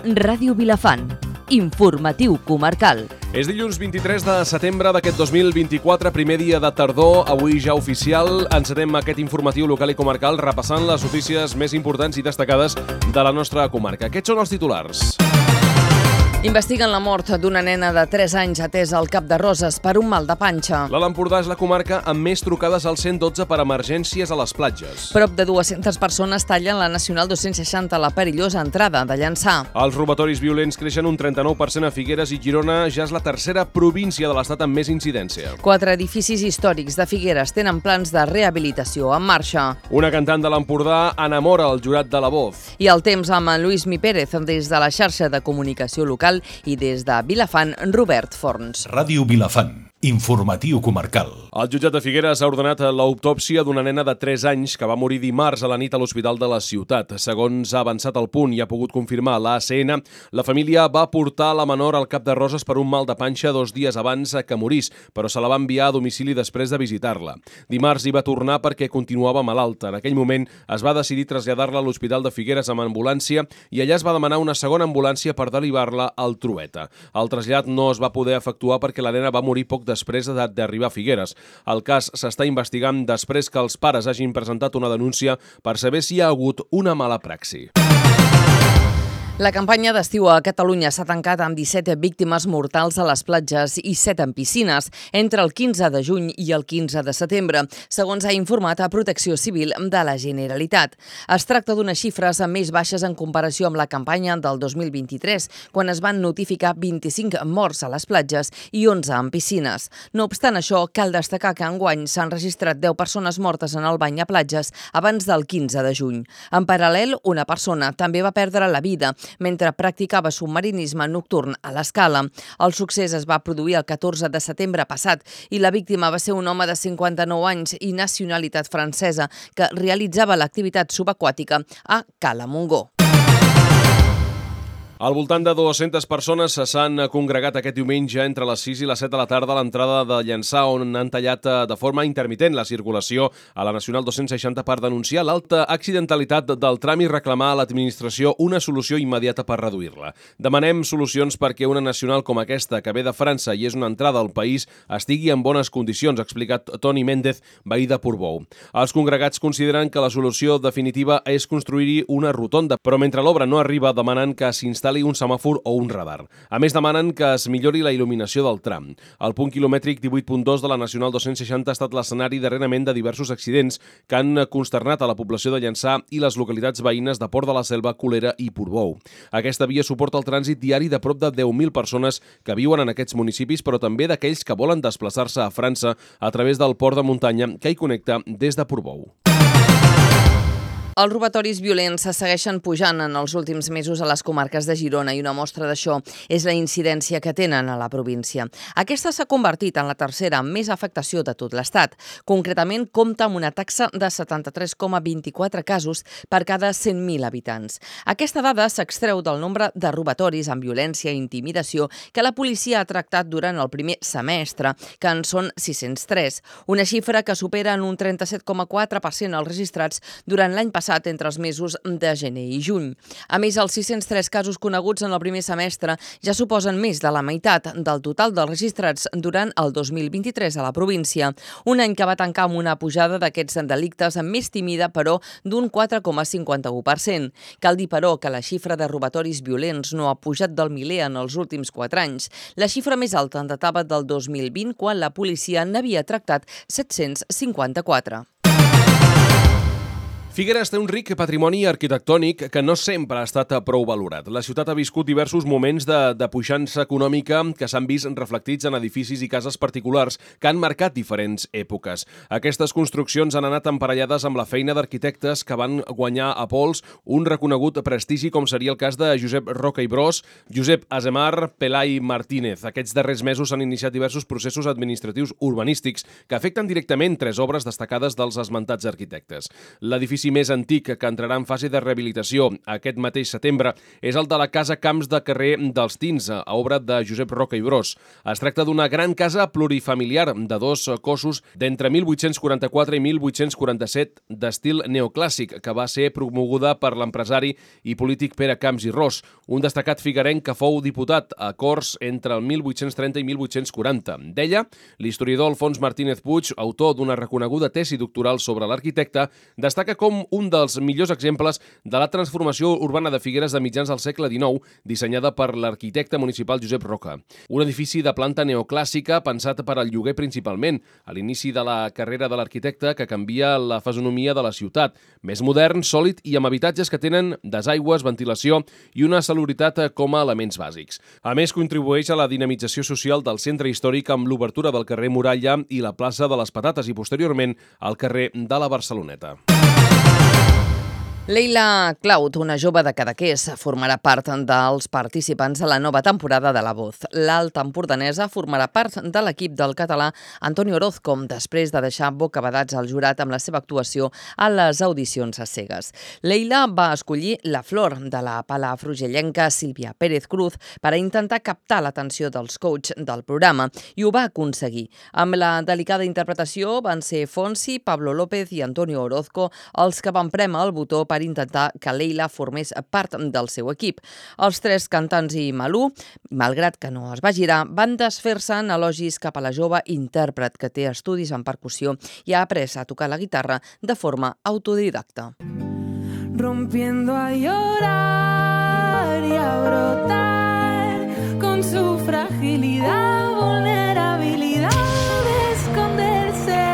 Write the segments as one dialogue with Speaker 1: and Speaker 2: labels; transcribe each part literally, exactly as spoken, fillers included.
Speaker 1: Ràdio Vilafant. Informatiu comarcal.
Speaker 2: És dilluns vint-i-tres de setembre d'aquest dos mil vint-i-quatre, primer dia de tardor, avui ja oficial. Encetem aquest informatiu local i comarcal repassant les notícies més importants i destacades de la nostra comarca. Aquests són els titulars.
Speaker 1: Investiguen la mort d'una nena de tres anys atesa al Cap de Roses per un mal de panxa.
Speaker 2: L'Alt Empordà és la comarca amb més trucades al cent dotze per emergències a les platges.
Speaker 1: Prop de dues-centes persones tallen la Nacional dos-cents seixanta a la perillosa entrada de Llançà.
Speaker 2: Els robatoris violents creixen un trenta-nou per cent a Figueres i Girona ja és la tercera província de l'estat amb més incidència.
Speaker 1: Quatre edificis històrics de Figueres tenen plans de rehabilitació en marxa.
Speaker 2: Una cantant de l'Empordà enamora el jurat de la Voz.
Speaker 1: I el temps amb en Lluís Mi Pérez des de la xarxa de comunicació local i des de Vilafant, Robert Forns.
Speaker 3: Ràdio Vilafant. Informatiu comarcal.
Speaker 2: El jutjat de Figueres ha ordenat l'autòpsia d'una nena de tres anys que va morir dimarts a la nit a l'hospital de la ciutat. Segons ha avançat el punt i ha pogut confirmar l'A C N, la família va portar la menor al Cap de Roses per un mal de panxa dos dies abans que morís, però se la va enviar a domicili després de visitar-la. Dimarts hi va tornar perquè continuava malalta. En aquell moment es va decidir traslladar-la a l'Hospital de Figueres amb ambulància i allà es va demanar una segona ambulància per derivar-la al Trueta. El trasllat no es va poder efectuar perquè la nena va morir poc després d'arribar a Figueres. El cas s'està investigant després que els pares hagin presentat una denúncia per saber si hi ha hagut una mala praxi.
Speaker 1: La campanya d'estiu a Catalunya s'ha tancat amb disset víctimes mortals a les platges i set en piscines entre el quinze de juny i el quinze de setembre, segons ha informat a Protecció Civil de la Generalitat. Es tracta d'unes xifres més baixes en comparació amb la campanya del dos mil vint-i-tres, quan es van notificar vint-i-cinc morts a les platges i onze en piscines. No obstant això, cal destacar que enguany s'han registrat deu persones mortes en el bany a platges abans del quinze de juny. En paral·lel, una persona també va perdre la vida mentre practicava submarinisme nocturn a l'Escala. El succés es va produir el catorze de setembre passat i la víctima va ser un home de cinquanta-nou anys i nacionalitat francesa que realitzava l'activitat subaquàtica a Cala Montgó.
Speaker 2: Al voltant de dues-centes persones s'han congregat aquest diumenge entre les sis i les set de la tarda a l'entrada de Llançà, on han tallat de forma intermitent la circulació a la Nacional dos-cents seixanta per denunciar l'alta accidentalitat del tram i reclamar a l'administració una solució immediata per reduir-la. Demanem solucions perquè una nacional com aquesta, que ve de França i és una entrada al país, estigui en bones condicions, ha explicat Toni Méndez, veí de Portbou. Els congregats consideren que la solució definitiva és construir-hi una rotonda, però mentre l'obra no arriba demanen que s'instal·li un semàfor o un radar. A més, demanen que es millori la il·luminació del tram. El punt quilomètric divuit punt dos de la Nacional dos-cents seixanta ha estat l'escenari darrerament de diversos accidents que han consternat a la població de Llançà i les localitats veïnes de Port de la Selva, Colera i Portbou. Aquesta via suporta el trànsit diari de prop de deu mil persones que viuen en aquests municipis, però també d'aquells que volen desplaçar-se a França a través del port de muntanya que hi connecta des de Portbou.
Speaker 1: Els robatoris violents se segueixen pujant en els últims mesos a les comarques de Girona i una mostra d'això és la incidència que tenen a la província. Aquesta s'ha convertit en la tercera amb més afectació de tot l'Estat. Concretament, compta amb una taxa de setanta-tres coma vint-i-quatre casos per cada cent mil habitants. Aquesta dada s'extreu del nombre de robatoris amb violència i intimidació que la policia ha tractat durant el primer semestre, que en són sis-cents tres, una xifra que supera en un trenta-set coma quatre per cent els registrats durant l'any passat passat entre els mesos de gener i juny. A més, els sis-cents tres casos coneguts en el primer semestre ja suposen més de la meitat del total dels registrats durant el dos mil vint-i-tres a la província, un any que va tancar amb una pujada d'aquests delictes més tímida, però d'un quatre coma cinquanta-u per cent. Cal dir, però, que la xifra de robatoris violents no ha pujat del miler en els últims quatre anys. La xifra més alta en datava del dos mil vint, quan la policia n'havia tractat set-cents cinquanta-quatre.
Speaker 2: Figueres té un ric patrimoni arquitectònic que no sempre ha estat prou valorat. La ciutat ha viscut diversos moments de, de puixança econòmica que s'han vist reflectits en edificis i cases particulars que han marcat diferents èpoques. Aquestes construccions han anat emparellades amb la feina d'arquitectes que van guanyar a pols un reconegut prestigi, com seria el cas de Josep Roca i Bros, Josep Azemar, Pelai Martínez. Aquests darrers mesos s'han iniciat diversos processos administratius urbanístics que afecten directament tres obres destacades dels esmentats arquitectes. L'edifici L'edifici més antic que entrarà en fase de rehabilitació aquest mateix setembre és el de la Casa Camps de carrer dels Tins, a obra de Josep Roca i Bros. Es tracta d'una gran casa plurifamiliar de dos cossos d'entre mil vuit-cents quaranta-quatre i mil vuit-cents quaranta-set d'estil neoclàssic, que va ser promoguda per l'empresari i polític Pere Camps i Ros, un destacat figuerenc que fou diputat a Corts entre el mil vuit-cents trenta i mil vuit-cents quaranta. D'ella, l'historiador Alfons Martínez Puig, autor d'una reconeguda tesi doctoral sobre l'arquitecte, destaca com un dels millors exemples de la transformació urbana de Figueres de mitjans del segle dinou, dissenyada per l'arquitecte municipal Josep Roca. Un edifici de planta neoclàssica pensat per al lloguer principalment, a l'inici de la carrera de l'arquitecte, que canvia la fisonomia de la ciutat. Més modern, sòlid i amb habitatges que tenen desaigües, ventilació i una salubritat com a elements bàsics. A més, contribueix a la dinamització social del centre històric amb l'obertura del carrer Muralla i la plaça de les Patates i, posteriorment, al carrer de la Barceloneta.
Speaker 1: Leila Cloud, una jove de Cadaqués, formarà part dels participants de la nova temporada de La Voz. L'alta empordanesa formarà part de l'equip del català Antoni Orozco, després de deixar bocabadats al jurat amb la seva actuació a les audicions a cegues. Leila va escollir La Flor, de la palafrugellenca Sílvia Pérez Cruz, per a intentar captar l'atenció dels coach del programa, i ho va aconseguir. Amb la delicada interpretació van ser Fonsi, Pablo López i Antonio Orozco els que van prémer el botó per intentar que Leila formés part del seu equip. Els tres cantants i Malú, malgrat que no es va girar, van desfer-se en elogis cap a la jove intèrpret que té estudis en percussió i ha après a tocar la guitarra de forma autodidacta.
Speaker 4: Rompiendo a llorar y a brotar con su fragilidad, vulnerabilidad de esconderse,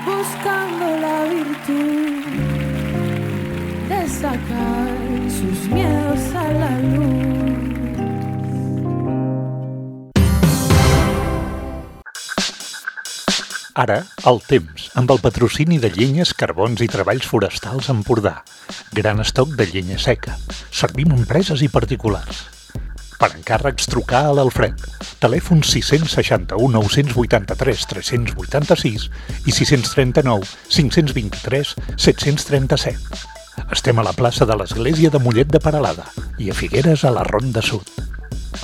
Speaker 4: buscando la virtud de sacar sus miedos a la luz.
Speaker 3: Ara, el temps, amb el patrocini de Llenyes, Carbons i Treballs Forestals Empordà. Gran estoc de llenya seca. Servim empreses i particulars. Per encàrrecs, trucar a l'Alfred. Telèfon sis seixanta u nou vuitanta-tres tres vuitanta-sis i sis trenta-nou cinc vint-i-tres set trenta-set. Estem a la plaça de l'Església de Mollet de Peralada i a Figueres, a la Ronda Sud.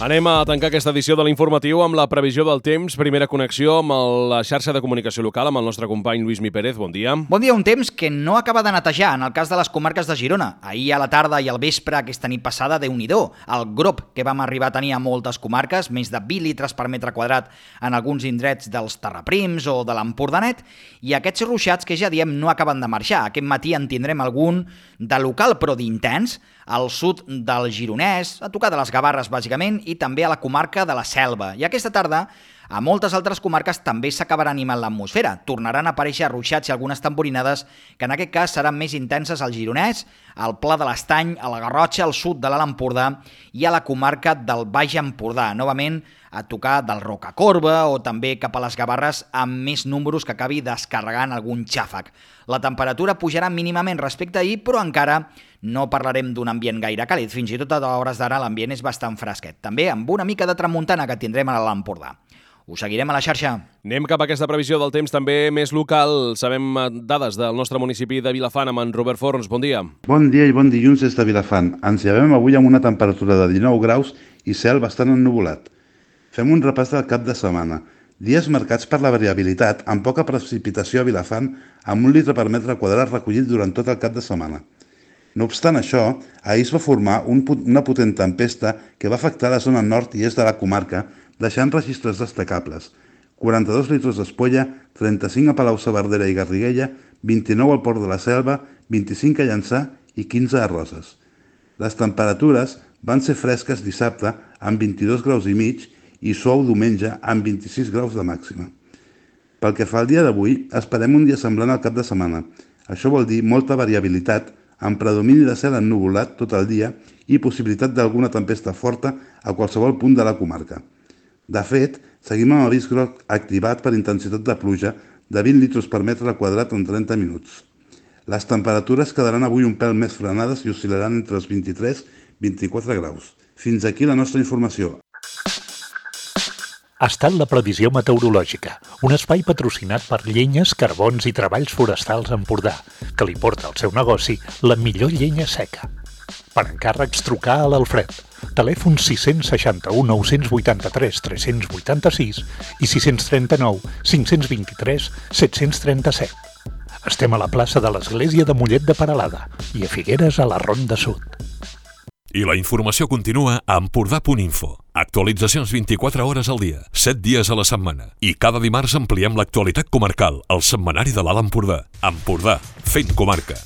Speaker 2: Anem a tancar aquesta edició de l'Informatiu amb la previsió del temps. Primera connexió amb la xarxa de comunicació local, amb el nostre company Lluís Mi Pérez. Bon dia.
Speaker 5: Bon dia. Un temps que no acaba de netejar en el cas de les comarques de Girona. Ahir a la tarda i al vespre, aquesta nit passada, Déu-n'hi-do. El grop que vam arribar a tenir a moltes comarques, més de vint litres per metre quadrat en alguns indrets dels Terraprims o de l'Empordanet, i aquests ruixats que ja diem no acaben de marxar. Aquest matí en tindrem algun de local però d'intens al sud del Gironès, a tocar de les Gavarres bàsicament, i també a la comarca de la Selva. I aquesta tarda a moltes altres comarques també s'acabarà animant l'atmosfera. Tornaran a aparèixer ruixats i algunes tamborinades que en aquest cas seran més intenses al Gironès, al Pla de l'Estany, a la Garrotxa, al sud de l'Alt Empordà i a la comarca del Baix Empordà. Novament a tocar del Rocacorba o també cap a les Gavarres amb més números que acabi descarregant algun xàfec. La temperatura pujarà mínimament respecte a ahir, però encara no parlarem d'un ambient gaire càlid. Fins i tot a hores d'ara l'ambient és bastant fresquet. També amb una mica de tramuntana que tindrem a l'Empordà. Us seguirem a la xarxa.
Speaker 2: Anem cap a aquesta previsió del temps també més local. Sabem dades del nostre municipi de Vilafant amb en Robert Forns. Bon dia.
Speaker 6: Bon dia i bon dilluns des de Vilafant. Ens llevem avui amb una temperatura de dinou graus i cel bastant ennuvolat. Fem un repàs del cap de setmana. Dies marcats per la variabilitat, amb poca precipitació a Vilafant, amb un litre per metre quadrat recollit durant tot el cap de setmana. No obstant això, ahir es va formar un, una potent tempesta que va afectar la zona nord i est de la comarca, deixant registres destacables. quaranta-dos litres d'Espolla, trenta-cinc a Palau-saverdera i Garriguella, vint-i-nou al Port de la Selva, vint-i-cinc a Llançà i quinze a Roses. Les temperatures van ser fresques dissabte amb vint-i-dos graus i mig i suau diumenge amb vint-i-sis graus de màxima. Pel que fa al dia d'avui, esperem un dia semblant al cap de setmana. Això vol dir molta variabilitat, amb predomini de cel ennuvolat tot el dia i possibilitat d'alguna tempesta forta a qualsevol punt de la comarca. De fet, seguim amb avís groc activat per intensitat de pluja de vint litres per metre quadrat en trenta minuts. Les temperatures quedaran avui un pèl més frenades i oscil·laran entre els vint-i-tres i vint-i-quatre graus. Fins aquí la nostra informació.
Speaker 3: ha estat la previsió meteorològica, un espai patrocinat per Llenyes, Carbons i Treballs Forestals Empordà, que li porta al seu negoci la millor llenya seca. Per encàrrecs, trucar a l'Alfred. Telèfon sis seixanta-u, nou vuitanta-tres, tres vuitanta-sis i sis trenta-nou, cinc vint-i-tres, set trenta-set. Estem a la plaça de l'Església de Mollet de Peralada i a Figueres a la Ronda Sud.
Speaker 7: I la informació continua a empordà punt info. Actualitzacions vint-i-quatre hores al dia, set dies a la setmana. I cada dimarts ampliem l'actualitat comarcal al setmanari de l'Alt Empordà. Empordà, fent comarca.